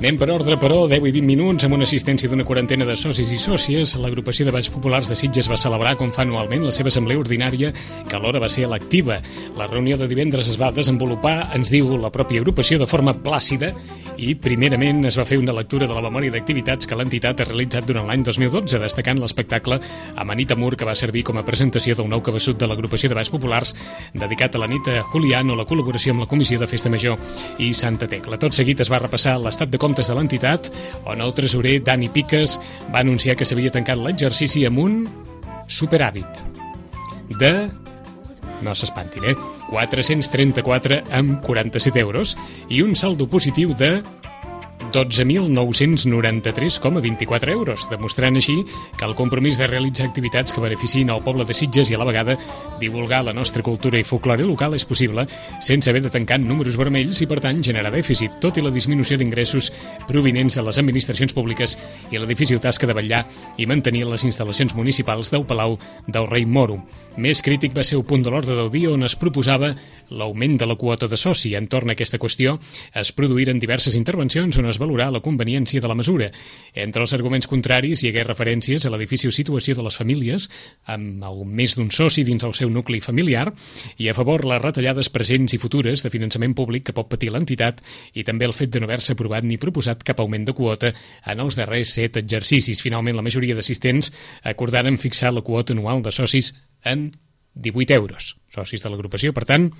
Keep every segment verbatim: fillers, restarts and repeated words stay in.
Anem per ordre, però, deu i vint minuts, amb una assistència d'una quarantena de socis i sòcies. L'agrupació de Balls Populars de Sitges va celebrar, com fa anualment, la seva assemblea ordinària, que alhora va ser electiva. La reunió de divendres es va desenvolupar, ens diu la pròpia agrupació, de forma plàcida, i primerament es va fer una lectura de la memòria d'activitats que l'entitat ha realitzat durant l'any dos mil dotze, destacant l'espectacle Amanita Mur, que va servir com a presentació d'un nou cabeçut de l'agrupació de Balls Populars, dedicat a la nit a Julián, o la col·laboració amb la Comissió de Festa Major i Santa Tecla. Tot seguit es va repassar l'estat de comptes de l'entitat, on el tresorer Dani Piques va anunciar que s'havia tancat l'exercici amb un superàvit de, no s'espantin, eh? quatre-cents trenta-quatre coma quaranta-set euros i un saldo positiu de dotze mil nou-cents noranta-tres coma vint-i-quatre euros, demostrant així que el compromís de realitzar activitats que beneficien el poble de Sitges i a la vegada divulgar la nostra cultura i folklore local és possible sense haver de tancar números vermells i, per tant, generar dèficit, tot i la disminució d'ingressos provinents de les administracions públiques i la difícil tasca de vetllar i mantenir les instal·lacions municipals del Palau del Rei Moro. Més crític va ser el punt de l'ordre del dia on es proposava l'augment de la quota de soci. Entorn a aquesta qüestió es produïren diverses intervencions on es valorar la conveniència de la mesura. Entre els arguments contraris hi hagué referències a la difícil situació de les famílies amb el més d'un soci dins el seu nucli familiar i a favor les retallades presents i futures de finançament públic que pot patir l'entitat i també el fet de no haver-se aprovat ni proposat cap augment de quota en els darrers set exercicis. Finalment, la majoria d'assistents acordaren fixar la quota anual de socis en divuit euros. Socis de l'agrupació, per tant,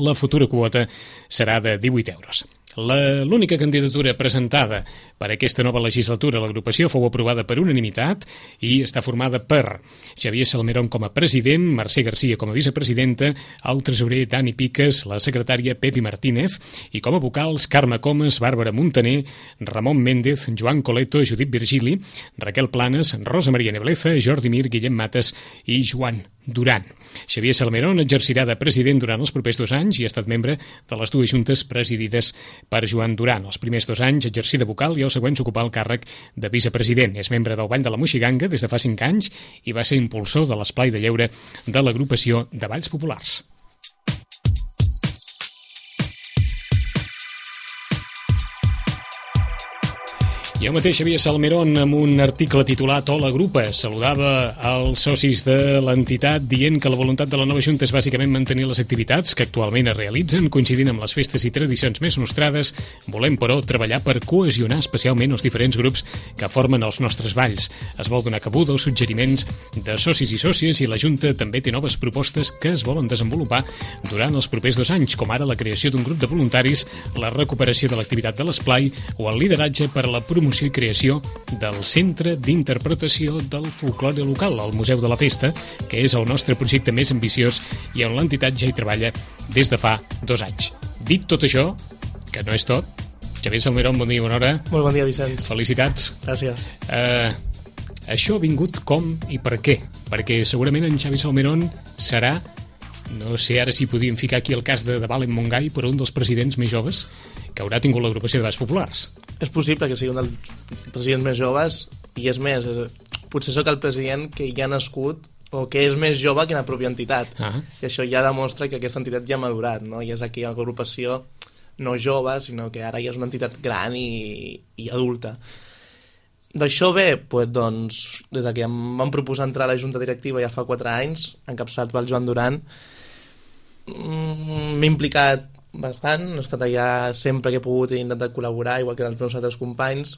la futura quota serà de divuit euros. L'única candidatura presentada per aquesta nova legislatura a l'agrupació fou aprovada per unanimitat i està formada per Xavier Salmerón com a president, Mercè Garcia com a vicepresidenta, el tresorer Dani Piques, la secretària Pepi Martínez i com a vocals Carme Comas, Bàrbara Montaner, Ramon Méndez, Joan Coleto, Judit Virgili, Raquel Planes, Rosa Maria Nebleza, Jordi Mir, Guillem Mates i Joan Duran. Xavier Salmerón exercirà de president durant els propers dos anys i ha estat membre de les dues juntes presidides per Joan Duran. Els primers dos anys exercí de vocal i els següents ocupar el càrrec de vicepresident. És membre del Ball de la Moixiganga des de fa cinc anys i va ser impulsor de l'esplai de lleure de l'agrupació de Balls Populars. I el mateix Xavier Salmerón, amb un article titulat Hola Grupa, saludava als socis de l'entitat dient que la voluntat de la nova Junta és bàsicament mantenir les activitats que actualment es realitzen, coincidint amb les festes i tradicions més nostrades. Volem, però, treballar per cohesionar especialment els diferents grups que formen els nostres balls. Es vol donar cabuda als suggeriments de socis i sòcies i la Junta també té noves propostes que es volen desenvolupar durant els propers dos anys, com ara la creació d'un grup de voluntaris, la recuperació de l'activitat de l'esplai o el lideratge per a la promoció i creació del Centre d'Interpretació del Folklore Local, el Museu de la Festa, que és el nostre projecte més ambiciós i on l'entitat ja hi treballa des de fa dos anys. Dit tot això, que no és tot, Xavier Salmerón, bon dia, bona hora. Molt bon dia, Vicenç. Felicitats. Gràcies. Uh, això ha vingut com i per què? Perquè segurament en Xavier Salmerón serà, no sé ara si podíem ficar aquí el cas de, de Valen Montgai, però un dels presidents més joves que haurà tingut l'agrupació de Balls Populars. És possible que sigui un dels presidents més joves i és més, potser sóc el president que ja ha nascut o que és més jove que la pròpia entitat. Ah. I això ja demostra que aquesta entitat ja ha madurat, no? I és aquí una agrupació no jove, sinó que ara ja és una entitat gran i, i adulta. D'això bé, pues, doncs, des que em van proposar entrar a la Junta Directiva ja fa quatre anys, encapçat pel Joan Duran, m'he implicat bastant, he estat allà sempre que he pogut i he intentat col·laborar, igual que els meus altres companys,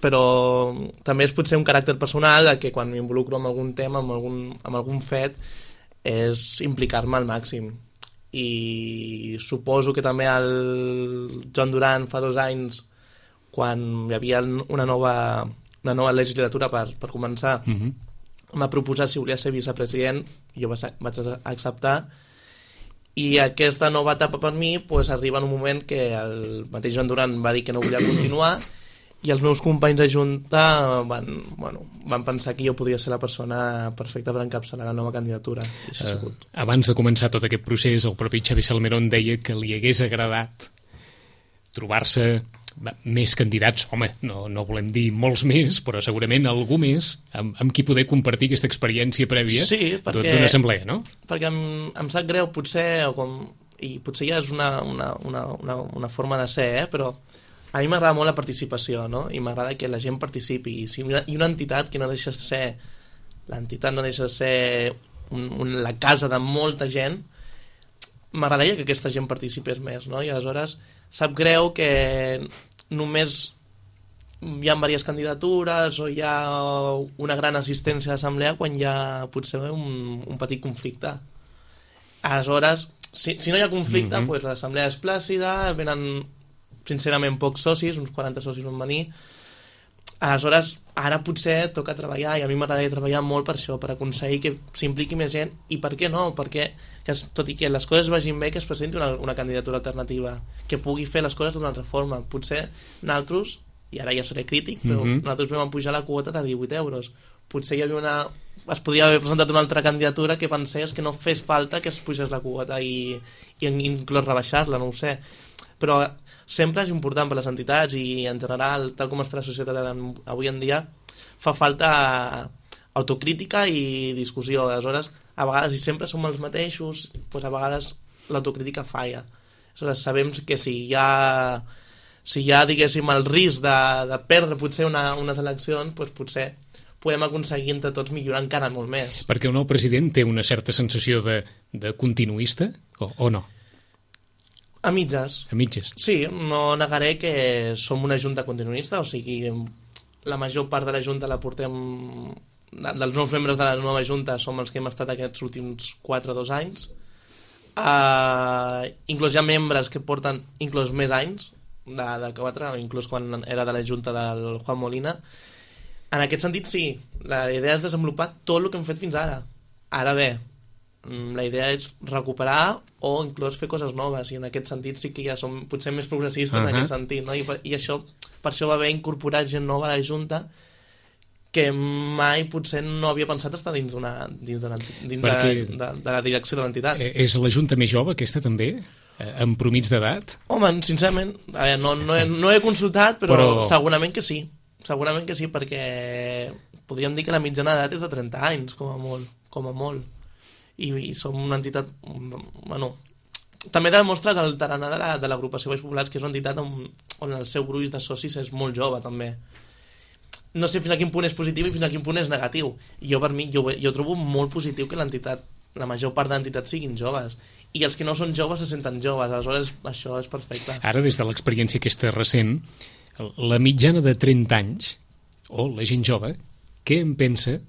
però també és potser un caràcter personal que quan m'involucro en algun tema, en algun, en algun fet, és implicar-me al màxim. I suposo que també el Joan Duran fa dos anys, quan hi havia una nova, una nova legislatura per, per començar, uh-huh. em va proposar si volia ser vicepresident, i jo vaig acceptar. I aquesta nova etapa per mi pues, arriba en un moment que el mateix Joan Duran va dir que no volia continuar i els meus companys de Junta van, bueno, van pensar que jo podia ser la persona perfecta per encapçalar la nova candidatura. I això ha sigut. Uh, abans de començar tot aquest procés, el propi Xavier Salmerón deia que li hagués agradat trobar-se més candidats, home, no, no volem dir molts més, però segurament algú més amb, amb qui poder compartir aquesta experiència prèvia sí, perquè, d'una assemblea, no? Perquè em, em sap greu, potser, o com, i potser ja és una, una, una, una, una forma de ser, eh? Però a mi m'agrada molt la participació, no? I m'agrada que la gent participi. I, si una, i una entitat que no deixa de ser... L'entitat no deixa de ser un, un, la casa de molta gent, m'agradaria que aquesta gent participés més, no? I aleshores sap greu que només hi ha diverses candidatures o hi ha una gran assistència a l'assemblea quan hi ha potser un, un petit conflicte. Aleshores, si, si no hi ha conflicte, mm-hmm. pues l'assemblea és plàcida, venen sincerament pocs socis, uns quaranta socis van venir. Aleshores, ara potser toca treballar, i a mi m'agradaria treballar molt per això, per aconseguir que s'impliqui més gent, i per què no? Perquè, que es, tot i que les coses vagin bé, que es presenti una, una candidatura alternativa, que pugui fer les coses d'una altra forma. Potser nosaltres, i ara ja seré crític, però mm-hmm. nosaltres vam pujar la quota de divuit euros. Potser hi havia una... es podria haver presentat una altra candidatura que pensés que no fes falta que es pugés la quota i, i inclús rebaixar-la, no ho sé. Però sempre és important per les entitats i en general, tal com està la societat avui en dia, fa falta autocrítica i discussió. Aleshores, a vegades, i sempre som els mateixos, doncs a vegades l'autocrítica falla. Aleshores, sabem que si hi ha, si hi ha diguéssim, el risc de, de perdre potser una, unes eleccions, doncs potser podem aconseguir entre tots millorar encara molt més. Perquè el nou president té una certa sensació de, de continuista, o, o no? A mitges. A mitges. Sí, no negaré que som una junta continuista, o sigui, la major part de la junta la portem... dels nous membres de la nova junta som els que hem estat aquests últims quatre o dos anys. Uh, inclús hi ha membres que porten inclús més anys de, de quatre, inclús quan era de la junta del Juan Molina. En aquest sentit, sí, la idea és desenvolupar tot el que hem fet fins ara. Ara bé, la idea és recuperar o inclús fer coses noves, i en aquest sentit sí que ja som potser més progressistes uh-huh. en aquest sentit, no? I, per, i això, per això va haver incorporat gent nova a la Junta que mai potser no havia pensat estar dins, una, dins, de, dins Perquè, de, de, de la direcció de l'entitat. És la Junta més jove aquesta també? Amb promís d'edat? Home, sincerament, a veure, no, no, he, no he consultat, però, però segurament que sí. Segurament que sí, perquè podríem dir que la mitjana d'edat és de trenta anys, com a molt. Com a molt. I, i som una entitat... Bueno, també demostra que el tarannà de, la, de l'agrupació Baix Populars, que és una entitat on, on el seu gruix de socis és molt jove, també. No sé fins a quin punt és positiu i fins a quin punt és negatiu. Jo, per mi, jo, jo trobo molt positiu que l'entitat, la major part d'entitats siguin joves. I els que no són joves se senten joves. Aleshores, això és perfecte. Ara, des de l'experiència aquesta recent, la mitjana de trenta anys, o la gent jove, què en pensa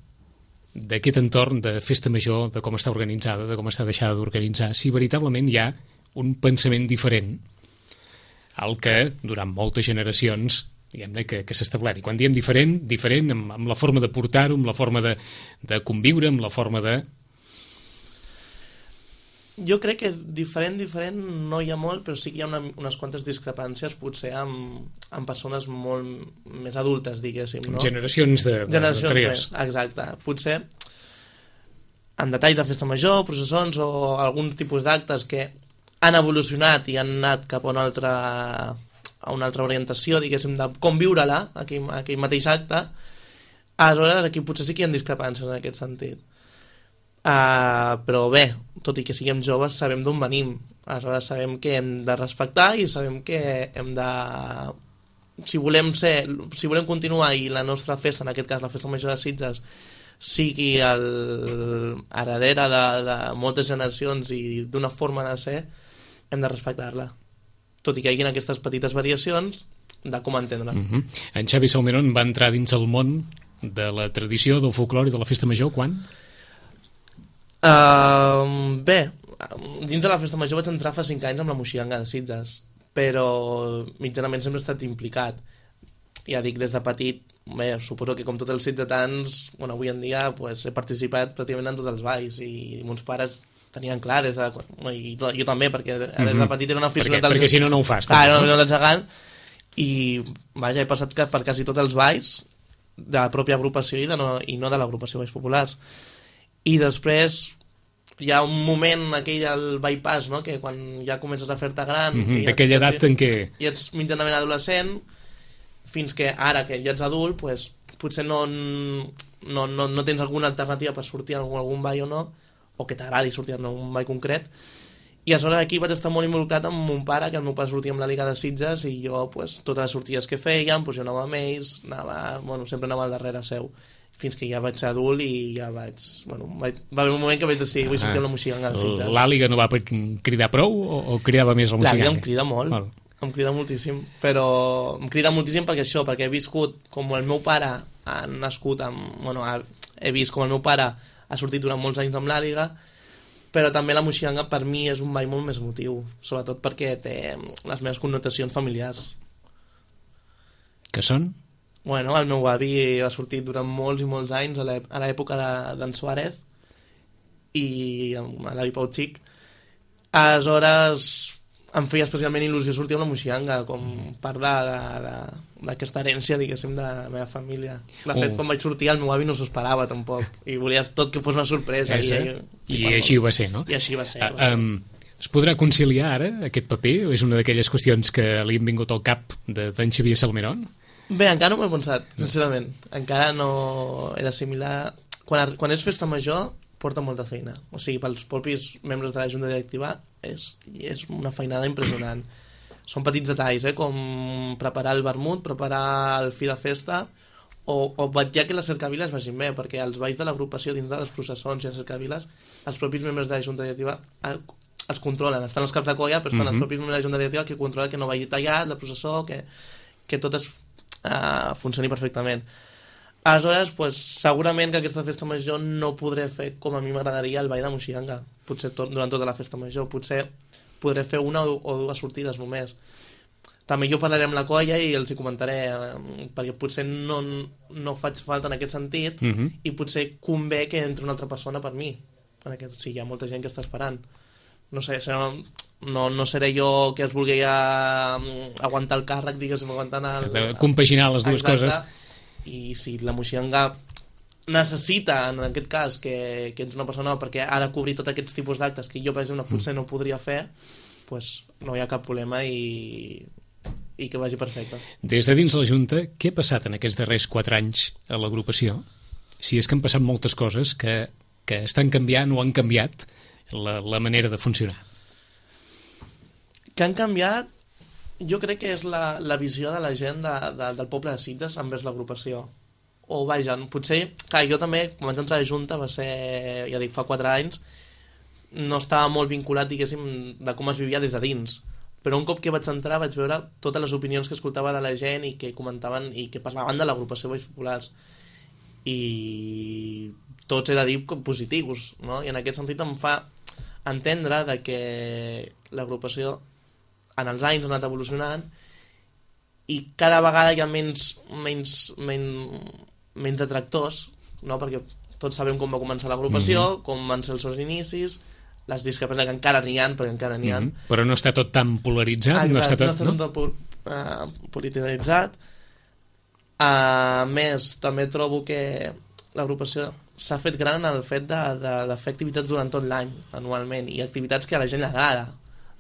d'aquest entorn de festa major, de com està organitzada, de com està deixada d'organitzar, si veritablement hi ha un pensament diferent al que durant moltes generacions diguem-ne que, que s'ha establert. I quan diem diferent, diferent amb, amb la forma de portar-ho, amb la forma de, de conviure, amb la forma de... Jo crec que diferent, diferent no hi ha molt, però sí que hi ha una, unes quantes discrepàncies potser amb, amb persones molt més adultes, diguéssim, no? Generacions de, de, Generacions de més, exacte. Potser en detalls de festa major, processons o alguns tipus d'actes que han evolucionat i han anat cap a una altra, a una altra orientació, diguéssim, de com viure-la, aquell, aquell mateix acte. Aleshores, aquí potser sí que hi ha discrepàncies en aquest sentit. Uh, però bé, tot i que siguem joves sabem d'on venim, aleshores sabem que hem de respectar i sabem que hem de, si volem ser, si volem continuar i la nostra festa, en aquest cas la festa major de Sitges, sigui el heredera de, de moltes generacions i d'una forma de ser, hem de respectar-la, tot i que hi hagi aquestes petites variacions de com entendre-la. Mm-hmm. En Xavi Salmerón va entrar dins el món de la tradició, del folclore i de la festa major quan? Uh, bé, dins de la festa major vaig entrar fa cinc anys amb la Moixiganga de Sitges, però mitjanament sempre he estat implicat. Ja dic, des de petit, bé, suposo que com tots els sitgetans, bueno, avui en dia pues, he participat pràcticament en tots els balls i mons pares tenien clar des de... I jo també, perquè des de petit era una aficionat... Perquè, perquè si no, no ho fas. Ah, era una aficionat del gegant i, vaja, he passat per quasi tots els balls de la pròpia agrupació i, de no, i no de l'agrupació Baix Populars. I després hi ha un moment aquell del bypass, no? Que quan ja comences a fer-te gran, mm-hmm, d'aquella ja edat en què i ets mitjanament adolescent, fins que ara que ja ets adult pues, potser no, no, no, no tens alguna alternativa per sortir a algun, algun ball o no, o que t'agradi sortir a un ball concret, I aleshores aquí vaig estar molt involucrat amb mon pare, que el meu pare sortia amb la Liga de Sitges i jo, pues, totes les sortides que fèiem, pues, jo anava amb ells, anava, bueno, sempre anava al darrere seu, fins que ja vaig ser adult i ja vaig... Bueno, vaig, va haver un moment que vaig decidir, vull sortir amb la Moixiganga als Sitges. L'Àliga no va cridar prou o, o cridava més la Moixiganga? L'Àliga em crida molt, bueno. em crida moltíssim, però em crida moltíssim perquè això, perquè he viscut com el meu pare ha nascut amb... Bueno, ha, he vist com el meu pare ha sortit durant molts anys amb l'Àliga, però també la Moixiganga per mi és un ball molt més emotiu, sobretot perquè té les meves connotacions familiars. Que són? Bueno, el meu avi ha sortit durant molts i molts anys a l'època d'en Suárez i a l'avi Pau Xic. Aleshores em feia especialment il·lusió sortir amb la Moixiganga com part d'aquesta herència, diguéssim, de la meva família. De fet, oh. quan vaig sortir el meu avi no s'ho esperava tampoc i volia tot que fos una sorpresa. I, i, i, i així ho va ser, no? I així va ser. Uh, um, es podrà conciliar ara aquest paper o és una d'aquelles qüestions que li han vingut al cap d'en Xavier Salmerón? Bé, encara no m'ho he pensat, sincerament. Encara no he d'assimilar... Quan, quan és festa major porta molta feina. O sigui, pels propis membres de la Junta Directiva és, és una feinada impressionant. Són petits detalls, eh? Com preparar el vermut, preparar el fi de festa o, o vetllar que les cercaviles vagin bé, perquè els balls de l'agrupació dins de les processons i les cercaviles, els propis membres de la Junta Directiva els controlen. Estan els caps de colla, però estan mm-hmm. els propis membres de la Junta Directiva que controlen que no vagi tallat la processó, que, que tot es Uh, funcioni perfectament. Aleshores, pues, segurament que aquesta festa major no podré fer com a mi m'agradaria el ball de Moixiganga, potser tot, durant tota la festa major, potser podré fer una o, o dues sortides només. També jo parlaré amb la colla i els hi comentaré, eh, perquè potser no, no faig falta en aquest sentit mm-hmm. i potser convé que entri una altra persona per mi, en aquest, sí, hi ha molta gent que està esperant. No sé, serà... No, no seré jo que es vulgui a, aguantar el càrrec, diguéssim, aguantant el... Compaginar les dues exacte. Coses. I si la Moixiganga necessita, en aquest cas, que, que entri una persona perquè ha de cobrir tots aquests tipus d'actes que jo, per exemple, potser no podria fer, pues no hi ha cap problema i, i que vagi perfecte. Des de dins la Junta, què ha passat en aquests darrers quatre anys a l'agrupació? Si és que han passat moltes coses que, que estan canviant o han canviat la, la manera de funcionar. Que han canviat, jo crec que és la, la visió de la gent de, de, del poble de Sitges envers l'agrupació. O vaja, potser, clar, jo també, quan vaig entrar a la Junta, va ser, ja dic, fa quatre anys, no estava molt vinculat, diguéssim, de com es vivia des de dins. Però un cop que vaig entrar vaig veure totes les opinions que escoltava de la gent i que comentaven i que parlaven de l'agrupació Balls Populars. I tots he de dir positius, no? I en aquest sentit em fa entendre de que l'agrupació en els anys ha anat evolucionant i cada vegada hi ha menys, menys, menys, menys detractors, no? Perquè tots sabem com va començar l'agrupació, mm-hmm. com van ser els seus inicis, les discrepàncies que encara n'hi ha, perquè encara n'hi ha. Mm-hmm. Però no està tot tan polaritzat? Exacte, no està tot, no està tot no? tot uh, polititzat. A uh, més, també trobo que l'agrupació s'ha fet gran en el fet de, de, de fer activitats durant tot l'any, anualment, i activitats que a la gent li agrada.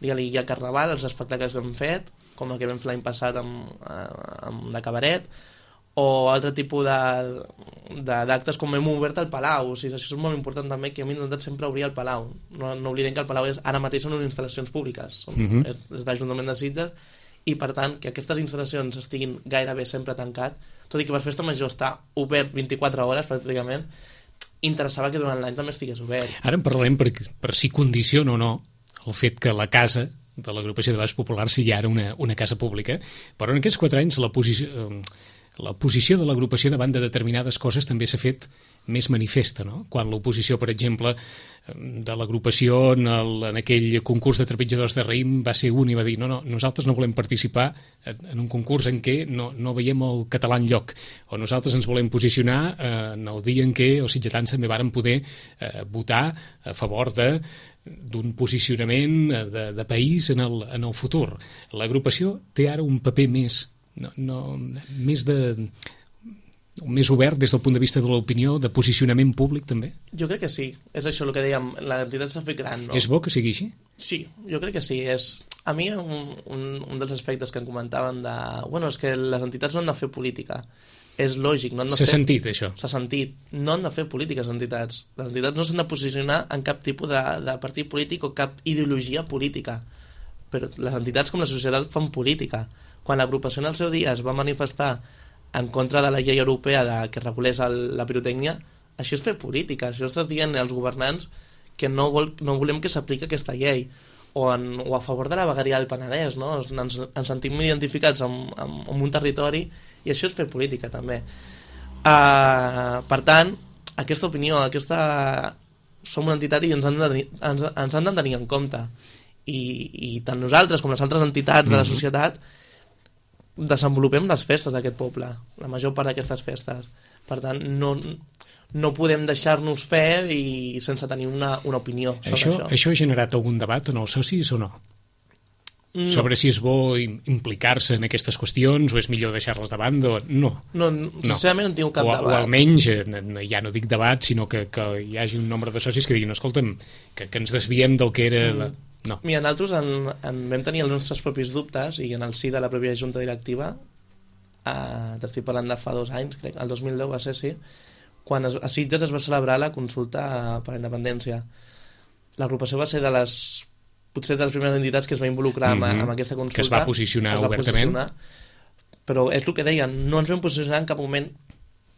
Digue-li, hi ha Carnaval, els espectacles que hem fet, com el que vam fer l'any passat amb, amb de cabaret, o altre tipus d'actes com hem obert al Palau. O sigui, això és molt important també, que hem intentat sempre obrir el Palau. No, no oblidem que el Palau és, ara mateix són unes instal·lacions públiques, són, mm-hmm. és, és d'Ajuntament de Sitges, i per tant que aquestes instal·lacions estiguin gairebé sempre tancat, tot i que per festa major està obert vint-i-quatre hores pràcticament, interessava que durant l'any també estigués obert. Ara en parlarem per, per si condiciona o no el fet que la casa de l'agrupació de Balls Populars sigui ara una, una casa pública, però en aquests quatre anys la posició, la posició de l'agrupació davant de determinades coses també s'ha fet més manifesta, no? Quan l'oposició, per exemple, de l'agrupació en, el, en aquell concurs de trepitjadors de raïm va ser un i va dir no, no, nosaltres no volem participar en un concurs en què no, no veiem el català enlloc, o nosaltres ens volem posicionar eh, en el dia en què els sitgetans també varen poder eh, votar a favor de d'un posicionament de, de país en el, en el futur. L'agrupació té ara un paper més, no, no, més de més obert des del punt de vista de l'opinió, de posicionament públic també? Jo crec que sí, és això el que dèiem, l'entitat s'ha fet gran, no? És bo que sigui així? Sí, jo crec que sí. És... A mi un, un, un dels aspectes que em comentaven de... Bueno, és que les entitats no han de fer política. és lògic. No S'ha sentit, això. S'ha sentit. No han de fer polítiques les entitats. Les entitats no s'han de posicionar en cap tipus de, de partit polític o cap ideologia política. Però les entitats com la societat fan política. Quan l'agrupació en el seu dia es va manifestar en contra de la llei europea de, que regulés el, la pirotècnia, això és fer política. Això estàs dient als governants que no, vol, no volem que s'apliqui aquesta llei. O, en, o a favor de la vegueria del Penedès, no? Ens, ens sentim identificats amb, amb, amb un territori i això és fer política també. Uh, per tant, aquesta opinió, aquesta... som una entitat i ens han de, ens, ens han de tenir en compte. I, i tant nosaltres com les altres entitats de la societat desenvolupem les festes d'aquest poble, la major part d'aquestes festes. Per tant, no, no podem deixar-nos fer i sense tenir una, una opinió sobre això, això. Això ha generat algun debat en els socis o no? No. Sobre si és bo implicar-se en aquestes qüestions o és millor deixar-les de banda o... No. No, sincerament no, no tinc cap o, debat. O almenys, ja no dic debat, sinó que, que hi hagi un nombre de socis que diguin, escolta'm, que, que ens desviem del que era... Mm. La... No. Mira, nosaltres en, en vam tenir els nostres propis dubtes i en el si de la pròpia junta directiva, eh, t'estic parlant de fa dos anys, crec, el dos mil deu va ser, sí, quan es, a Sitges es va celebrar la consulta per la independència. L'agrupació va ser de les potser de les primeres entitats que es va involucrar mm -hmm. amb, amb aquesta consulta. Que es va posicionar es va obertament. Posicionar, però és el que deien, no ens vam posicionar en cap moment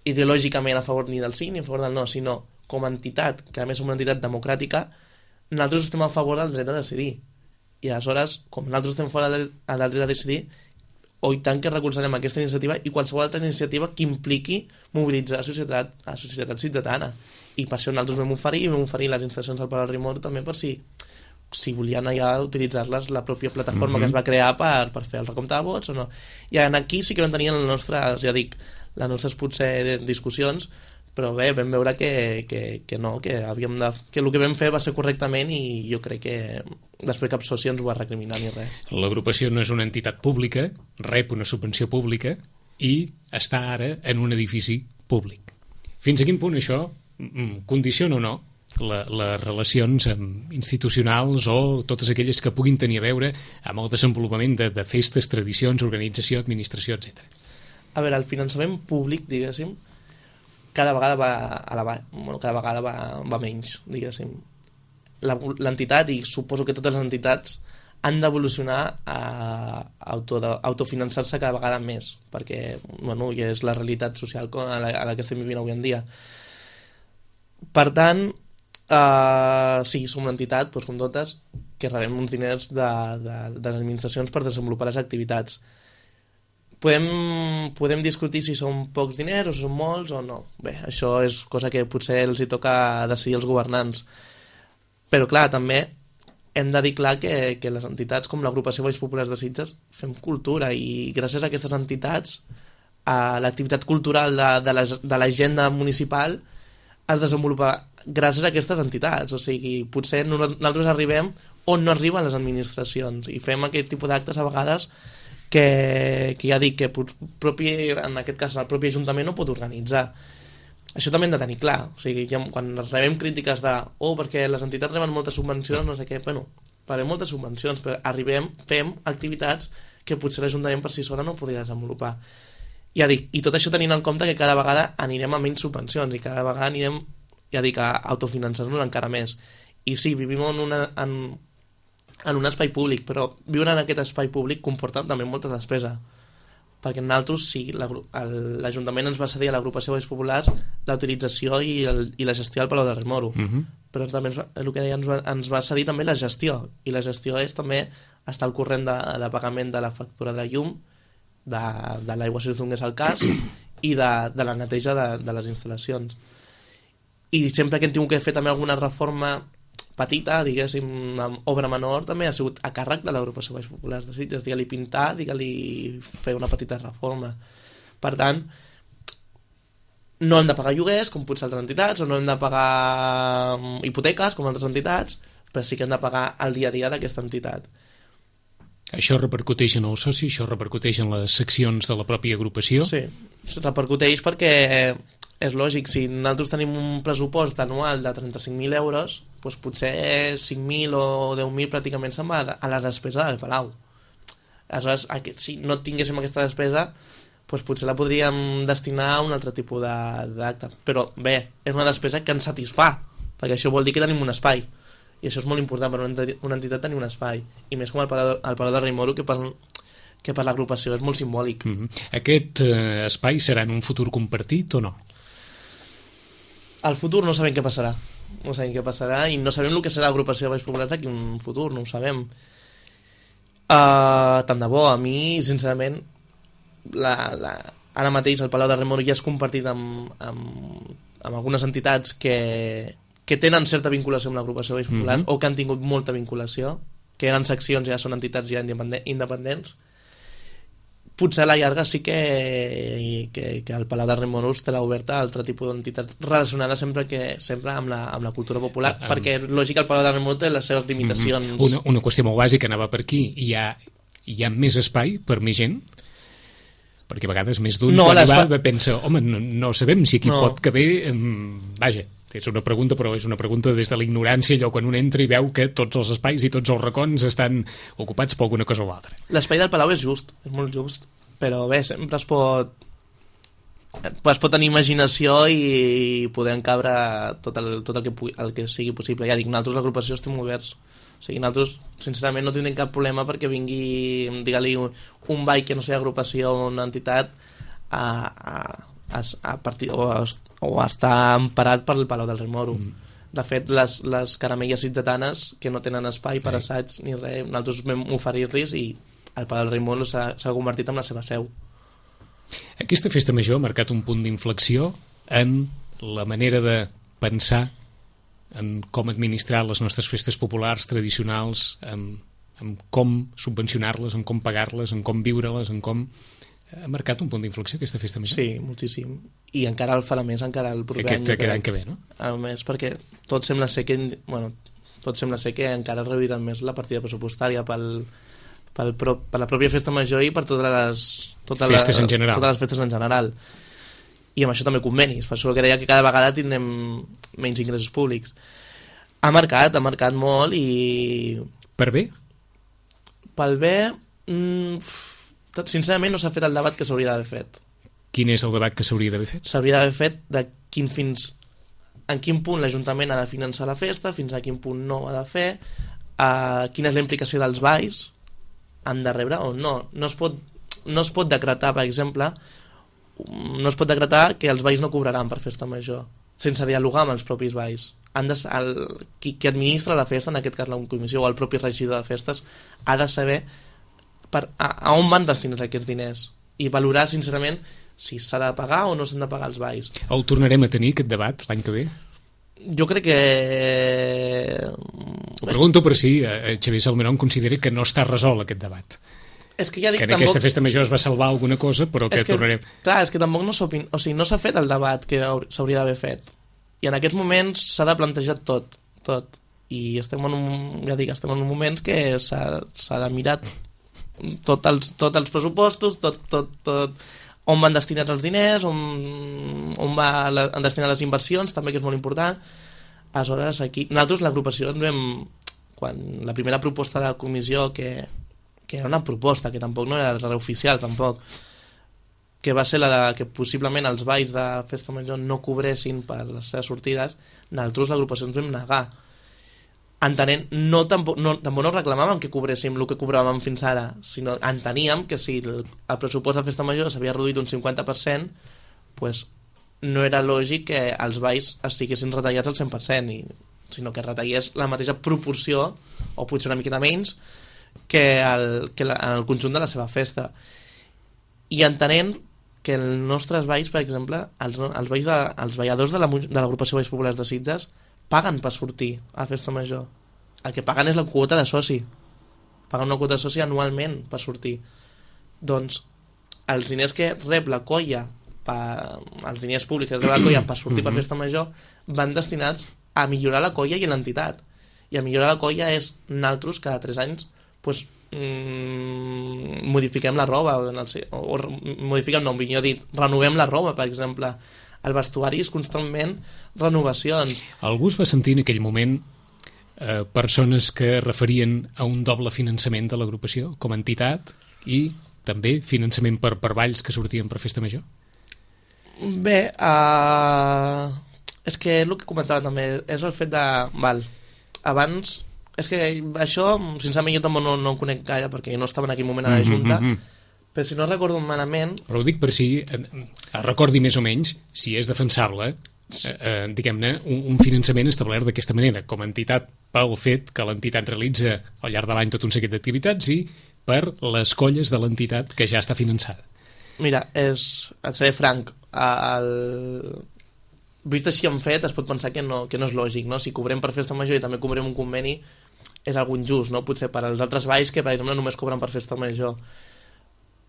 ideològicament a favor ni del sí ni a favor del no, sinó com a entitat, que a més som una entitat democràtica, nosaltres estem a favor del dret a decidir. I aleshores, com nosaltres estem fora del dret a decidir, o i tant que recolzarem aquesta iniciativa i qualsevol altra iniciativa que impliqui mobilitzar la societat, la societat sitgetana. I per això nosaltres vam oferir, i vam oferir les instal·lacions al Palau Rimor també per si, si volien allà utilitzar-les la pròpia plataforma mm-hmm. que es va crear per, per fer el recompte de vots o no. I aquí sí que vam tenir les nostres, ja dic, les nostres potser discussions, però bé, vam veure que, que, que no, que, havíem de, que el que vam fer va ser correctament i jo crec que després cap soci ens ho va recriminar ni res. L'agrupació no és una entitat pública, rep una subvenció pública i està ara en un edifici públic. Fins a quin punt això condiciona o no la, les relacions institucionals o totes aquelles que puguin tenir a veure amb el desenvolupament de, de festes, tradicions, organització, administració, etcètera. A veure, el finançament públic, diguéssim, cada vegada va a la bueno, cada vegada va, va menys, diguéssim. L'entitat, i suposo que totes les entitats, han d'evolucionar a auto, autofinançar-se cada vegada més, perquè bueno, ja és la realitat social a la, a la que estem vivint avui en dia. Per tant, uh, sí, som una entitat, doncs, com totes, que rebem uns diners de, de, de les administracions per desenvolupar les activitats. Podem, podem discutir si són pocs diners o si són molts o no. Bé, això és cosa que potser els hi toca decidir als governants. Però clar, també hem de dir clar que, que les entitats com l'Agrupació Valls Populars de Sitges fem cultura i gràcies a aquestes entitats a l'activitat cultural de l'agenda municipal es desenvolupa gràcies a aquestes entitats. O sigui, potser nosaltres arribem on no arriben les administracions i fem aquest tipus d'actes a vegades que, que ja dic que propi, en aquest cas el propi Ajuntament no pot organitzar. Això també hem de tenir clar. O sigui, ja, quan rebem crítiques de oh, perquè les entitats reben moltes subvencions, no sé què, bueno, rebem moltes subvencions, però arribem, fem activitats que potser l'Ajuntament per si sola no podria desenvolupar. Ja dic, i tot això tenint en compte que cada vegada anirem a menys subvencions i cada vegada anirem, ja dic, a autofinançar-nos encara més. I sí, vivim en una... En, en un espai públic, però viure en aquest espai públic comporta també molta despesa, perquè nosaltres sí, l'Ajuntament ens va cedir a l'Agrupació Valls Populars la utilització i, el, i la gestió del Palau de Remoro, uh-huh. però també ens va, el que deia, ens va, ens va cedir també la gestió, i la gestió és també estar al corrent de, de pagament de la factura de la llum, de, de l'aigua si donés el cas, i de, de la neteja de, de les instal·lacions. I sempre que hem tingut que fer també alguna reforma petita, diguéssim, amb obra menor, també ha sigut a càrrec de l'Agrupació Valls Populars de Sitges, digue-li pintar, digue-li fer una petita reforma. Per tant, no hem de pagar lloguers, com potser altres entitats, o no hem de pagar hipoteques, com altres entitats, però sí que hem de pagar el dia a dia d'aquesta entitat. Això repercuteix en els socis, això repercuteix en les seccions de la pròpia agrupació? Sí, repercuteix perquè és lògic, si nosaltres tenim un pressupost anual de trenta-cinc mil euros, doncs potser cinc mil o deu mil pràcticament se'n va a la despesa del Palau. Aleshores, si no tinguéssim aquesta despesa, doncs potser la podríem destinar a un altre tipus d'acte. Però bé, és una despesa que ens satisfà, perquè això vol dir que tenim un espai. I això és molt important per una entitat tenir un espai. I més com el Palau, el Palau de Rei Moro, que per, que per l'agrupació és molt simbòlic. Mm-hmm. Aquest eh, espai serà en un futur compartit o no? Al futur no sabem què passarà. No sabem què passarà i no sabem el que serà l'agrupació de Balls Populars d'aquí un futur, no ho sabem. Uh, tant de bo, a mi, sincerament, la, la, ara mateix el Palau de Rei Moro ja és compartit amb, amb, amb algunes entitats que, que tenen certa vinculació amb l'agrupació de Balls Populars, mm-hmm. o que han tingut molta vinculació, que eren seccions, ja són entitats ja independents. Potser a la llarga sí que, que, que el Palau de Rei Moro estarà oberta a altre tipus d'entitats relacionades sempre que sempre amb la, amb la cultura popular, um, perquè és lògic que el Palau de Rei Moro té les seves limitacions. Mm-hmm. Una, una qüestió molt bàsica anava per aquí. Hi ha, hi ha més espai per més gent? Perquè a vegades més d'un no, quan va pensa, home, no, no sabem si aquí no. pot caber... Um, vaja, és una pregunta, però és una pregunta des de la ignorància, allò quan un entra i veu que tots els espais i tots els racons estan ocupats per alguna cosa o altra. L'espai del Palau és just, és molt just, però bé, sempre es pot es pot tenir imaginació i poder encabre tot el, tot el, que, el que sigui possible. Ja dic, nosaltres l'agrupació estem oberts. O sigui, nosaltres, sincerament, no tindrem cap problema perquè vingui, digue-li, un ball que no sigui agrupació o una entitat a, a, a, a partir... O a, o està emparat per el Palau del Rei Moro. Mm. De fet, les, les caramelles sitgetanes, que no tenen espai sí. per assaig ni res, nosaltres vam oferir-los i el Palau del Rei Moro s'ha convertit en la seva seu. Aquesta festa major ha marcat un punt d'inflexió en la manera de pensar en com administrar les nostres festes populars tradicionals, en, en com subvencionar-les, en com pagar-les, en com viure-les, en com... Ha marcat un punt d'inflexió aquesta festa major? Sí, moltíssim. I encara el farà més, encara el proper aquest, any. Aquest any que ve, no? A més, perquè tot sembla ser que... Bueno, tot sembla ser que encara reduiran més la partida pressupostària pel, pel pro, per la pròpia festa major i per totes les... Totes festes la, en general. Totes les festes en general. I amb això també convenis. Per això que deia que cada vegada tindrem menys ingressos públics. Ha marcat, ha marcat molt i... Per bé? Pel bé... Mm, sincerament no s'ha fet el debat que s'hauria d'haver fet. Quin és el debat que s'hauria d'haver fet? S'hauria d'haver fet de quin fins en quin punt l'Ajuntament ha de finançar la festa, fins a quin punt no ha de fer, uh, quina és la implicació dels balls, han de rebre o no. No es pot, no es pot decretar, per exemple, no es pot decretar que els balls no cobraran per festa major, sense dialogar amb els propis balls. Han de, el, qui, qui administra la festa, en aquest cas la comissió o el propi regidor de festes, ha de saber per, a, a on van destinar aquests diners i valorar sincerament si s'ha de pagar o no s'han de pagar els balls. El tornarem a tenir aquest debat l'any que ve? Jo crec que... Ho pregunto per si eh, Xavier Salmerón considera que no està resolt aquest debat. És que ja dic, que en tampoc... aquesta festa major es va salvar alguna cosa, però que, que tornarem... Clar, és que tampoc no s'ha o sigui, no s'ha fet el debat que s'hauria d'haver fet. I en aquests moments s'ha de plantejar tot, tot. I estem en un, ja dic, estem en un moments que s'ha de mirar tots els, tot els pressupostos, tot, tot, tot, on van destinats els diners, on, on va la, han destinat les inversions, també, que és molt important. Aleshores, aquí, nosaltres l'agrupació ens vam, quan la primera proposta de la comissió, que, que era una proposta, que tampoc no era res oficial, tampoc, que va ser la de que possiblement els balls de festa major no cobressin per les seves sortides, nosaltres l'agrupació ens vam negar. Entenent, no, tampoc, no, tampoc no reclamàvem que cobréssim el que cobràvem fins ara, sinó enteníem que si el, el pressupost de festa major s'havia reduït un cinquanta per cent, pues, no era lògic que els balls estiguessin retallats al cent per cent, i, sinó que retallés la mateixa proporció, o potser una miqueta menys, que, el, que la, en el conjunt de la seva festa. I entenent que els nostres balls, per exemple, els, els, balls de, els balladors de l'agrupació la, de Balls Populars de Sitges paguen per sortir a festa major. El que paguen és la quota de soci. Paguen una quota de soci anualment per sortir. Doncs els diners que rep la colla, per, els diners públics que rep la colla per sortir per festa major, van destinats a millorar la colla i l'entitat. I a millorar la colla és nosaltres cada tres anys pues, mmm, modifiquem la roba o, o modifiquem, no, millor dit, renovem la roba, per exemple. El vestuari és constantment renovacions. Algú es va sentir en aquell moment eh, persones que referien a un doble finançament de l'agrupació com a entitat i també finançament per, per balls que sortien per Festa Major? Bé, uh, és que el que comentava també és el fet de... Val, abans... És que això, sincerament, jo tampoc no, no ho conec gaire perquè no estava en aquell moment a la Junta, mm -hmm. però si no recordo malament... Però ho dic per si eh, recordi més o menys si és defensable, eh, eh, diguem-ne, un, un finançament establert d'aquesta manera, com a entitat pel fet que l'entitat realitza al llarg de l'any tot un seguit d'activitats i per les colles de l'entitat que ja està finançada. Mira, és, et seré franc, el... vist així en fet es pot pensar que no, que no és lògic, no? Si cobrem per Festa Major i també cobrem un conveni és algo injust, no? Potser per als altres balls que per exemple només cobren per Festa Major,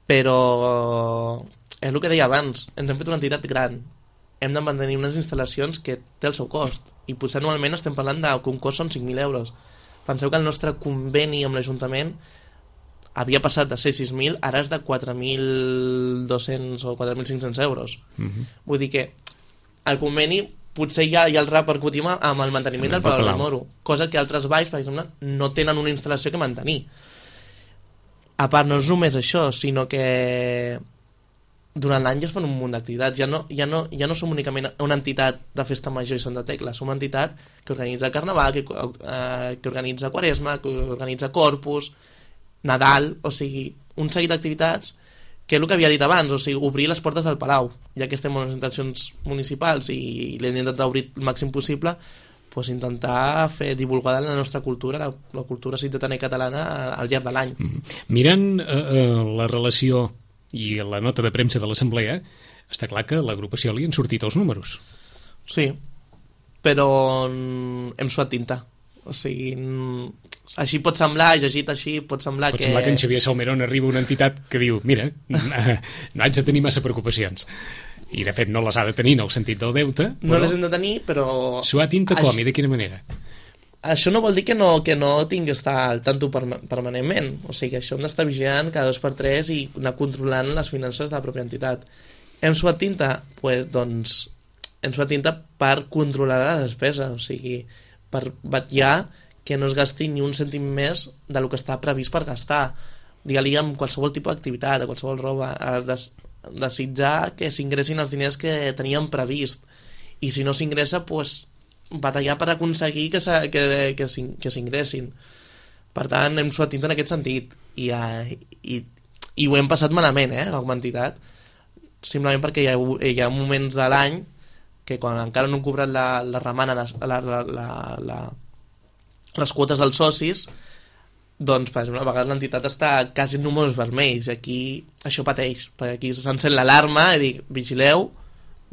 però és el que deia abans, ens hem fet una entitat gran, hem de mantenir unes instal·lacions que té el seu cost i potser anualment estem parlant de que un cost són cinc mil euros. Penseu que el nostre conveni amb l'Ajuntament havia passat de ser sis mil, ara és de quatre mil dos-cents o quatre mil cinc-cents euros. Uh-huh. Vull dir que el conveni potser ja, ja el repercutim amb el manteniment del Palau del Moro, cosa que altres balls, per exemple, no tenen una instal·lació que mantenir. A part, no és només això, sinó que durant l'any ja es fan un munt d'activitats. Ja no, ja, no, ja no som únicament una entitat de Festa Major i Santa Tecla, som una entitat que organitza Carnaval, que, eh, que organitza Quaresma, que organitza Corpus, Nadal, o sigui, un seguit d'activitats que és el que havia dit abans, o sigui, obrir les portes del Palau, ja que estem en les intencions municipals i l'hem intentat obrir el màxim possible, pues intentar fer divulgar la nostra cultura, la, la cultura sitgetana i catalana al llarg de l'any. Mm-hmm. Mirant eh, eh, la relació i la nota de premsa de l'Assemblea, està clar que a l'agrupació li han sortit els números. Sí, però hem suat tinta. O sigui, així pot semblar, llegit així, pot semblar pot que... Pot semblar que en Xavier Salmerón arriba una entitat que diu, mira, no haig de tenir massa preocupacions. I, de fet, no les ha de tenir en el sentit del deute. Però... No les hem de tenir, però... Suar tinta com i de quina manera? Això no vol dir que no, que no tingui que estar al tanto permanentment. O sigui, això hem d'estar vigilant cada dos per tres i anar controlant les finances de la pròpia entitat. Hem suat tinta? Pues, doncs, hem suat tinta per controlar la despesa. O sigui, per vetllar que no es gasti ni un cèntim més del que està previst per gastar. Digue-li amb qualsevol tipus d'activitat, a qualsevol roba, a des, desitjar que s'ingressin els diners que teníem previst. I si no s'ingressa, pues, batallar per aconseguir que, que, que, que s'ingressin. Per tant, hem suat tinta en aquest sentit. I, i, i ho hem passat malament, eh, com a entitat. Simplement perquè hi ha, hi ha moments de l'any que quan encara no han cobrat la, la remana, de, la, la, la, la, les quotes dels socis, doncs, per exemple, a vegades l'entitat està quasi en números vermells. Aquí això pateix, perquè aquí s'encén l'alarma i dic, vigileu,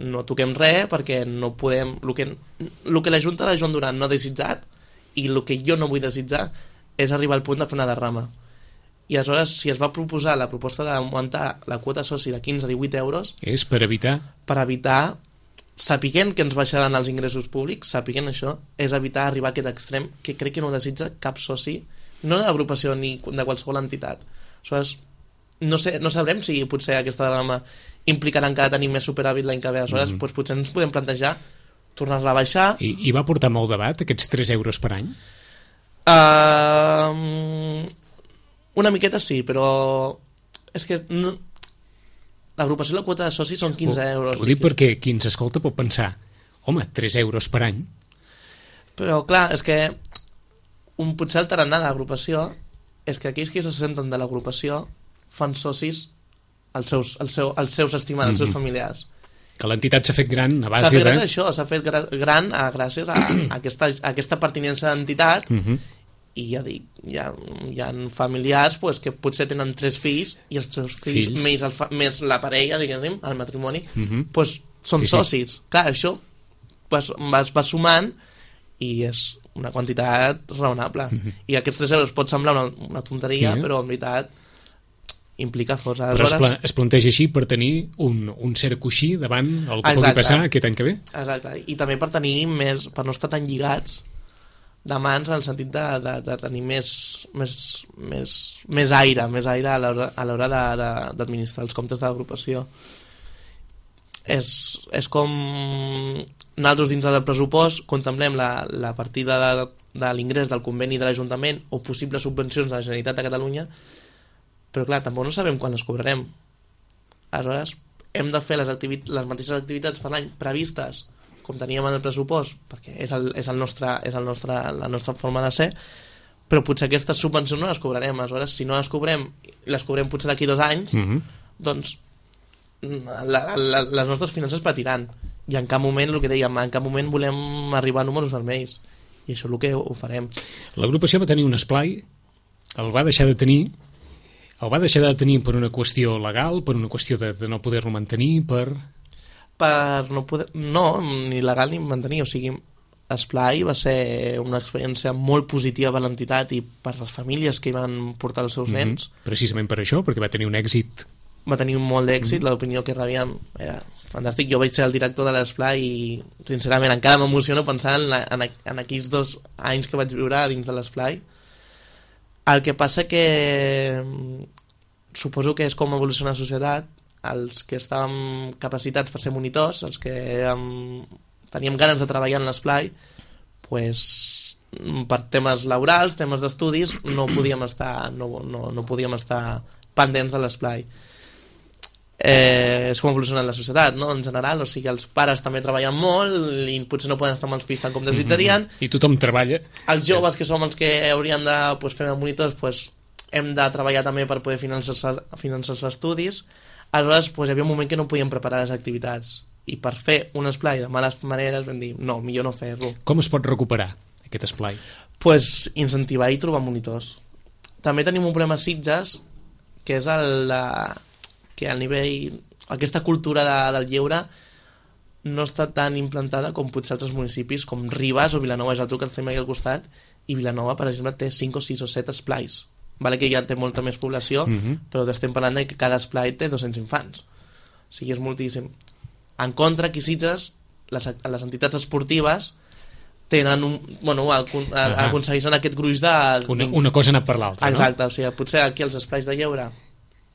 no toquem res, perquè no podem... El que, el que la Junta de Joan Duran no ha desitjat, i el que jo no vull desitjar, és arribar al punt de fer una derrama. I aleshores, si es va proposar la proposta d'augmentar la quota soci de quinze a divuit euros... És per evitar? Per evitar... sapiguent que ens baixaran els ingressos públics, sapiguent això, és evitar arribar a aquest extrem que crec que no desitja cap soci, no de l'agrupació ni de qualsevol entitat. Aleshores, no, sé, no sabrem si potser aquesta derrama implicarà encara tenir més superàvit l'any que ve. Aleshores, mm-hmm. doncs, potser ens podem plantejar tornar-la a baixar. I, I va portar molt debat, aquests tres euros per any? Uh, una miqueta sí, però és que... No, l'agrupació de la quota de socis són quinze euros. Ho dic perquè qui ens escolta pot pensar, home, tres euros per any. Però clar, és que un potser el tarannà de l'agrupació és que aquells que se senten de l'agrupació fan socis als seus, als seu, als seus estimats, mm-hmm. als seus familiars. Que l'entitat s'ha fet gran a base de... S'ha fet gran això, s'ha fet gran a, gràcies a, a, aquesta, a aquesta pertinença d'entitat. Mm-hmm. I ja dic, hi ha, hi ha familiars pues, que potser tenen tres fills i els tres fills, fills. Més, el fa, més la parella, diguéssim, el matrimoni, uh-huh. pues, són sí, socis. Sí. Clar, això pues, va, va sumant i és una quantitat raonable. Uh-huh. I aquests tres euros pot semblar una, una tonteria, uh-huh. però en veritat implica força. Però es, pla, es planteja així per tenir un, un cert coixí davant el que pugui passar aquest any que ve? Exacte, i també per tenir més, per no estar tan lligats de mans en el sentit de, de, de tenir més, més, més, més aire, més aire a l'hora d'administrar els comptes de l'agrupació. És, és com nosaltres dins del pressupost contemplem la, la partida de, de l'ingrés del conveni de l'Ajuntament o possibles subvencions de la Generalitat de Catalunya però clar, tampoc no sabem quan les cobrarem. Aleshores, hem de fer les, activi- les mateixes activitats per l'any previstes com teníem en el pressupost, perquè és, el, és, el nostre, és el nostre, la nostra forma de ser, però potser aquestes subvencions no les cobrarem. Aleshores, si no les cobrem, les cobrem potser d'aquí dos anys, Mm-hmm. doncs la, la, les nostres finances patiran. I en cap moment, el que dèiem, en cap moment volem arribar a números vermells. I això és el que ho farem. L'agrupació va tenir un esplai, el va deixar de tenir, el va deixar de tenir per una qüestió legal, per una qüestió de, de no poder-lo mantenir, per... Per no poder... No, ni legal ni mantenir. O sigui, Esplai va ser una experiència molt positiva per l'entitat i per les famílies que hi van portar els seus nens. Mm-hmm. Precisament per això, perquè va tenir un èxit. Va tenir molt d'èxit, Mm-hmm. l'opinió que rebíem era fantàstic. Jo vaig ser el director de l'Esplai i, sincerament, encara m'emociono pensar en, la, en, en aquells dos anys que vaig viure dins de l'Esplai. El que passa que suposo que és com evoluciona la societat. Els que estàvem capacitats per ser monitors, els que érem, teníem ganes de treballar en l'Esplai, pues, per temes laborals, temes d'estudis, no podíem estar, no, no, no podíem estar pendents de l'Esplai. Eh, és com evoluciona la societat, no? En general, o sigui, els pares també treballen molt i potser no poden estar amb els fills tant com desitjarien. Mm-hmm. I tothom treballa. Els joves, que som els que haurien de pues, fer monitors, pues, hem de treballar també per poder finançar, finançar els estudis. Aleshores, pues, hi havia un moment que no podíem preparar les activitats i per fer un esplai de males maneres vam dir, no, millor no fer-lo. Com es pot recuperar aquest esplai? Pues, incentivar i trobar monitors. També tenim un problema a Sitges, que és el, la, que al nivell, aquesta cultura de, del lleure no està tan implantada com potser altres municipis com Ribes o Vilanova i Geltrú, que ens tenim aquí al costat, i Vilanova, per exemple, té cinc o sis o set esplais. Vale que ja té molta més població, Mm-hmm. però estem parlant de que cada esplai té dos-cents infants. O sigui, és moltíssim. En contra, aquí a Sitges, les, les entitats esportives tenen un... Bueno, acon, uh -huh. aconsegueixen aquest gruix de... Una, una cosa ha anat per l'altra, Exacte, no? o sigui, potser aquí els esplais de lleure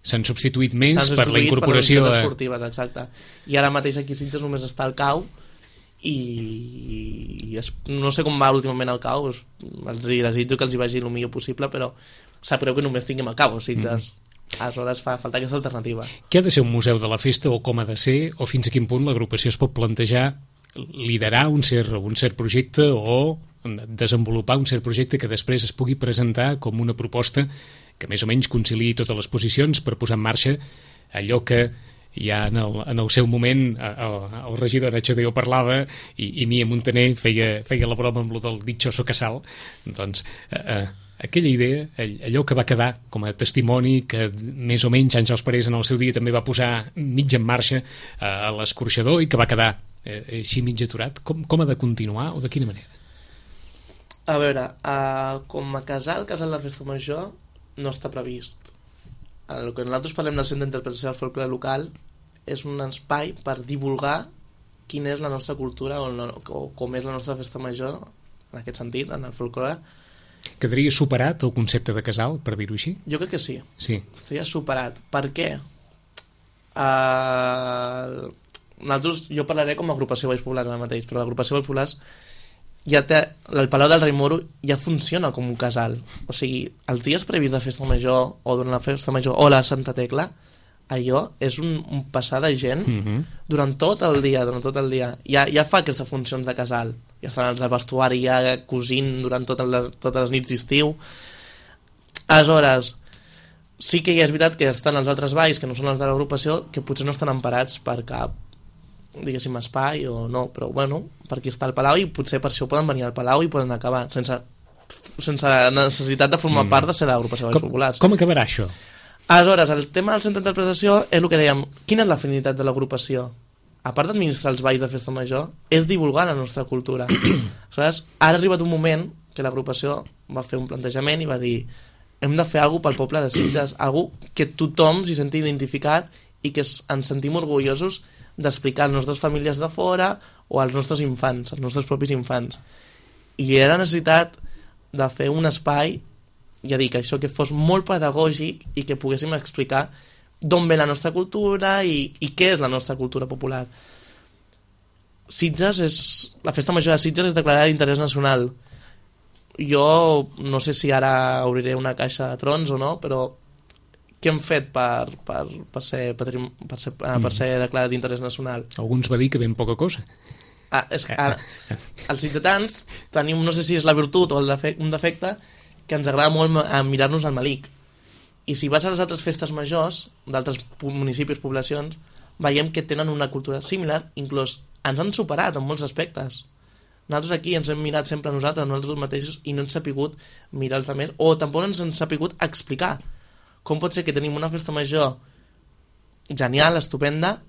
S'han substituït més s'han per la substituït incorporació... per les a... entitats esportives, exacte. I ara mateix aquí a Sitges només està el C A U i, i es, no sé com va últimament el C A U, els, els desitjo que els hi vagi el millor possible, però sap greu que només tinguem el C A U a Sitges. Mm. Aleshores fa falta aquesta alternativa. Què ha de ser un museu de la festa o com ha de ser, o fins a quin punt l'agrupació es pot plantejar liderar un cert, un cert projecte o desenvolupar un cert projecte que després es pugui presentar com una proposta que més o menys conciliï totes les posicions per posar en marxa allò que ja en el, en el seu moment el, el regidor Nacho Deo parlava i, i Mia Montaner feia, feia la broma amb lo del dichoso casal. Doncs eh, eh, aquella idea, allò que va quedar com a testimoni que més o menys Àngels Parés en el seu dia també va posar mig en marxa eh, a l'escorxador i que va quedar eh, així mig aturat, com, com ha de continuar o de quina manera? A veure, uh, com a casal, casal de festa major no està previst. El que nosaltres parlem del Centre d'Interpretació del Folklore Local és un espai per divulgar quina és la nostra cultura o, no, o com és la nostra festa major en aquest sentit, en el folklore. Quedaria superat el concepte de casal, per dir-ho així? Jo crec que sí. Sí. Estaria superat. Per què? Uh, nosaltres, jo parlaré com a agrupació Valls Populars ara mateix, però l'agrupació Valls Populars ja té, el Palau del Rei Moro ja funciona com un casal. O sigui, els dies previs de festa major o durant la festa major o la Santa Tecla, allò és un, un passar de gent Mm-hmm. durant tot el dia, durant tot el dia. Ja, ja fa aquestes funcions de casal. Ja estan els del vestuari ja cosint durant totes les, totes les nits d'estiu. Aleshores, sí que ja és veritat que estan els altres balls, que no són els de l'agrupació, que potser no estan emparats per cap, diguéssim, espai o no, però bueno, per aquí està el Palau i potser per això poden venir al Palau i poden acabar sense, sense necessitat de formar mm. part de ser d'agrupació Valls Populars. Com acabarà això? Aleshores, el tema del centre d'interpretació és el que dèiem, quina és la finalitat de l'agrupació? A part d'administrar els balls de festa major, és divulgar la nostra cultura. Aleshores, ara ha arribat un moment que l'agrupació va fer un plantejament i va dir hem de fer alguna cosa pel poble de Sitges, alguna que tothom s'hi senti identificat i que ens sentim orgullosos d'explicar a les nostres famílies de fora o als nostres infants, als nostres propis infants. I era necessitat de fer un espai, ja dic, això que fos molt pedagògic i que poguéssim explicar d'on ve la nostra cultura i, i què és la nostra cultura popular. Sitges és... La festa major de Sitges és declarada d'interès nacional. Jo no sé si ara obriré una caixa de trons o no, però què hem fet per, per, per, ser, patrim, per, ser, mm. per ser declarat d'interès nacional? Alguns va dir que ben poca cosa. Ah, és que ara, els sitgetans tenim, no sé si és la virtut o el defecte, un defecte, que ens agrada molt mirar-nos al malic. I si vas a les altres festes majors d'altres municipis, poblacions, veiem que tenen una cultura similar, inclús ens han superat en molts aspectes. Nosaltres aquí ens hem mirat sempre a nosaltres, nosaltres mateixos, i no ens ha sapigut mirar els altres, o tampoc ens han sapigut explicar com pot ser que tenim una festa major genial, estupenda,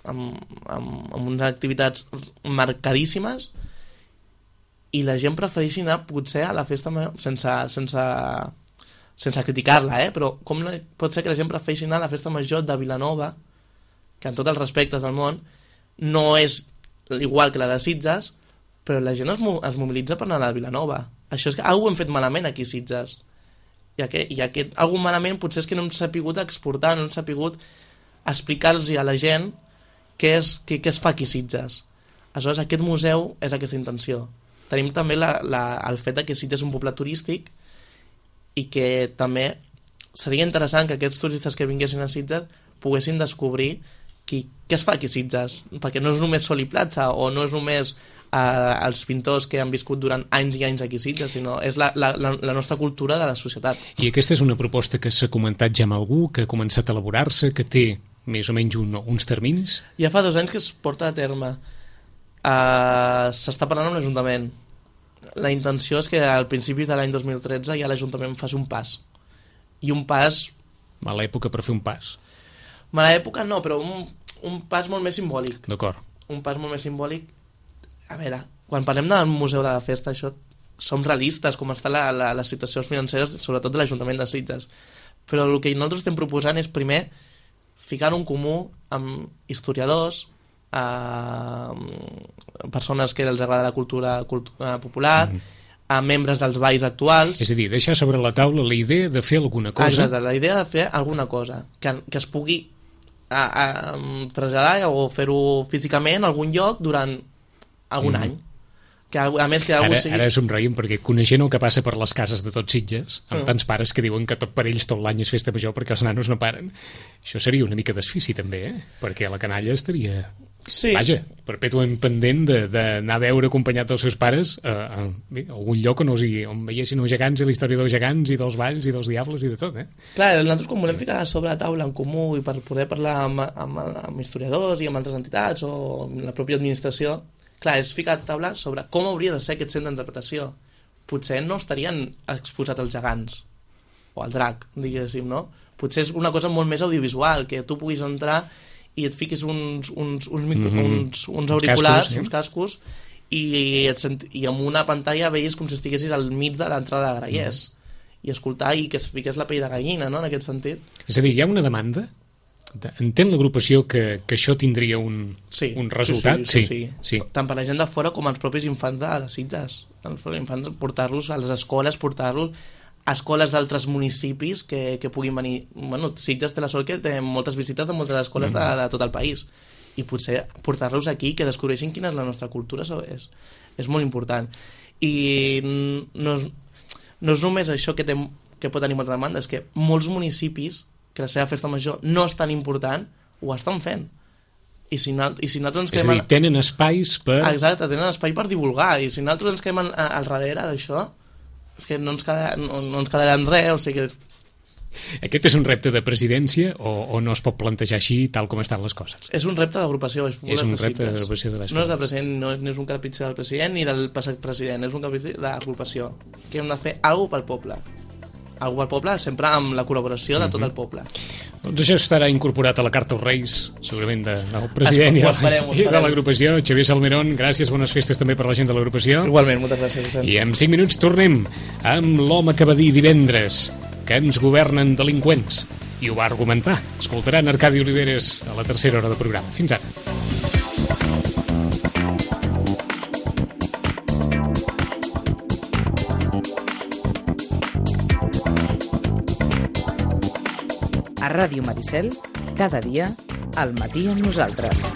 amb, amb, amb unes activitats marcadíssimes, i la gent prefereixi anar potser a la festa major sense, sense, sense criticar-la, eh? Però com pot ser que la gent prefereixi anar a la festa major de Vilanova, que en tots els respectes del món no és igual que la de Sitges, però la gent es, es mobilitza per anar a la Vilanova. Això és que alguna hem fet malament aquí a Sitges, i aquest, i aquest algun malament potser és que no hem sapigut exportar, no hem sapigut explicar-los a la gent què, és, què, què es fa aquí a Sitges. Aleshores aquest museu és aquesta intenció. Tenim també la, la, el fet que Sitges és un poble turístic i que també seria interessant que aquests turistes que vinguessin a Sitges poguessin descobrir qui, què es fa aquí a Sitges, perquè no és només sol i platja o no és només eh, els pintors que han viscut durant anys i anys aquí a Sitges, sinó és la, la, la, la nostra cultura de la societat. I aquesta és una proposta que s'ha comentat ja amb algú, que ha començat a elaborar-se, que té més o menys un, uns terminis? Ja fa dos anys que es porta a terme. Uh, s'està parlant amb l'Ajuntament. La intenció és que al principi de l'any dos mil tretze ja l'Ajuntament faci un pas. I un pas... Mala època per fer un pas. Mala època no, però un, un pas molt més simbòlic. D'acord. Un pas molt més simbòlic. A veure, quan parlem del Museu de la Festa, això som realistes, com està la, la, les situacions financeres, sobretot de l'Ajuntament de Sitges. Però el que nosaltres estem proposant és primer ficar un comú amb historiadors, a persones que els agrada la cultura, cultura popular, mm. a membres dels balls actuals. És a dir, deixar sobre la taula la idea de fer alguna cosa. Exacte, la idea de fer alguna cosa que, que es pugui a, a, traslladar o fer-ho físicament a algun lloc durant algun mm. any. Que, a més que ara, sigui... ara somreiem perquè coneixent el que passa per les cases de tots Sitges, amb mm. tants pares que diuen que tot per ells tot l'any és festa major perquè els nanos no paren, això seria una mica desfici també, eh? Perquè la canalla estaria... Sí. Vaja, perpètuament pendent d'anar a veure acompanyat dels seus pares a, a, a algun lloc on, sigui, on veiessin els gegants i la història dels gegants i dels balls i dels diables i de tot, eh? Clar, nosaltres quan volem ficar sobre la taula en comú i per poder parlar amb, amb, amb historiadors i amb altres entitats o amb la pròpia administració, clar, és ficar a taula sobre com hauria de ser aquest centre d'interpretació. Potser no estarien exposats als gegants o al drac, diguéssim, no? Potser és una cosa molt més audiovisual, que tu puguis entrar i et fiquis uns, uns, uns, micro, mm -hmm. uns, uns auriculars, uns cascos, uns cascos i, et sent, i amb una pantalla veies com si estiguessis al mig de l'entrada de Grallers mm -hmm. i escoltar i que es fiqués la pell de gallina, no?, en aquest sentit. És a dir, hi ha una demanda? Entén l'agrupació que, que això tindria un, sí, un resultat? Sí sí, sí, sí, sí. Tant per la gent de fora com els propis infants de, de Sitges. Els infants, portar-los a les escoles, portar-los a escoles d'altres municipis que, que puguin venir. Bueno, Sitges té la sort que té moltes visites de moltes escoles mm. de, de tot el país, i potser portar-los aquí, que descobreixin quina és la nostra cultura, és, és molt important. I no és, no és només això que, té, que pot tenir molta demanda, és que molts municipis que la seva festa major no és tan important, ho estan fent. I si, no, i si nosaltres ens és quedem... És a dir, tenen espais per... Exacte, tenen espai per divulgar, i si nosaltres ens quedem al darrere d'això, és que no ens, queda, no, no ens quedarà en res, o sigui que... Aquest és un repte de presidència o, o no es pot plantejar així tal com estan les coses? És un repte d'agrupació. És un repte d'agrupació de No és de president, no és, no és un capitxer del president ni del passat president, és un capitxer d'agrupació. Que hem de fer alguna cosa pel poble. Alguna pel poble, sempre amb la col·laboració de tot el poble. Doncs això estarà incorporat a la Carta als Reis, segurament de, del president i, esperem, i de l'agrupació. Xavier Salmerón, gràcies, bones festes també per la gent de l'agrupació. Igualment, moltes gràcies. I en cinc minuts tornem amb l'home que va dir divendres que ens governen delinqüents, i ho va argumentar. Escoltaran Arcadi Oliveres a la tercera hora de programa. Fins ara. A Ràdio Maricel, cada dia, al matí amb nosaltres.